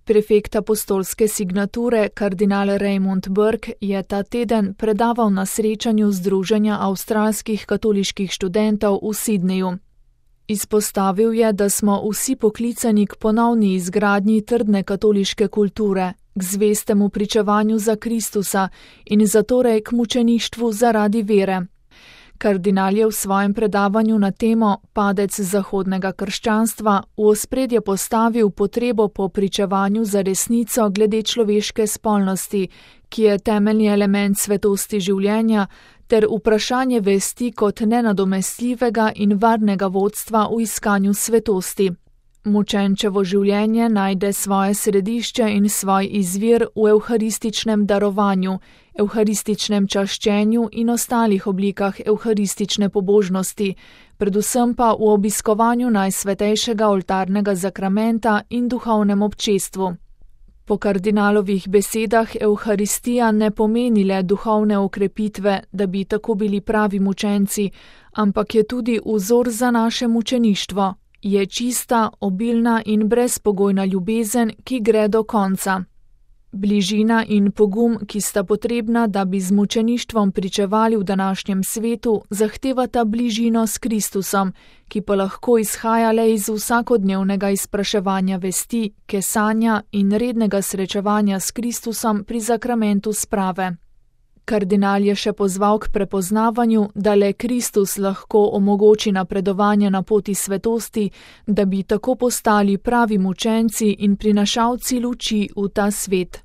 Prefekt apostolske signature kardinal Raymond Burke je ta teden predaval na srečanju Združenja avstralskih katoliških študentov v Sydneyju. Izpostavil je, da smo vsi poklicani k ponovni izgradnji trdne katoliške kulture, k zvestemu pričevanju za Kristusa in zatorej k mučeništvu zaradi vere. Kardinal je v svojem predavanju na temo Padec zahodnega krščanstva v ospredje postavil potrebo po pričevanju za resnico glede človeške spolnosti, ki je temeljni element svetosti življenja, ter vprašanje vesti kot nenadomestljivega in varnega vodstva v iskanju svetosti. Mučenčevo življenje najde svoje središče in svoj izvir v evharističnem darovanju, evharističnem čaščenju in ostalih oblikah evharistične pobožnosti, predvsem pa v obiskovanju najsvetejšega oltarnega zakramenta in duhovnem občestvu. Po kardinalovih besedah evharistija ne pomeni le duhovne okrepitve, da bi tako bili pravi mučenci, ampak je tudi vzor za naše mučeništvo. Je čista, obilna in brezpogojna ljubezen, ki gre do konca. Bližina in pogum, ki sta potrebna, da bi z mučeništvom pričevali v današnjem svetu, zahtevata bližino s Kristusom, ki pa lahko izhaja le iz vsakodnevnega izpraševanja vesti, kesanja in rednega srečevanja s Kristusom pri zakramentu sprave. Kardinal je še pozval k prepoznavanju, da le Kristus lahko omogoči napredovanje na poti svetosti, da bi tako postali pravi mučenci in prinašalci luči v ta svet.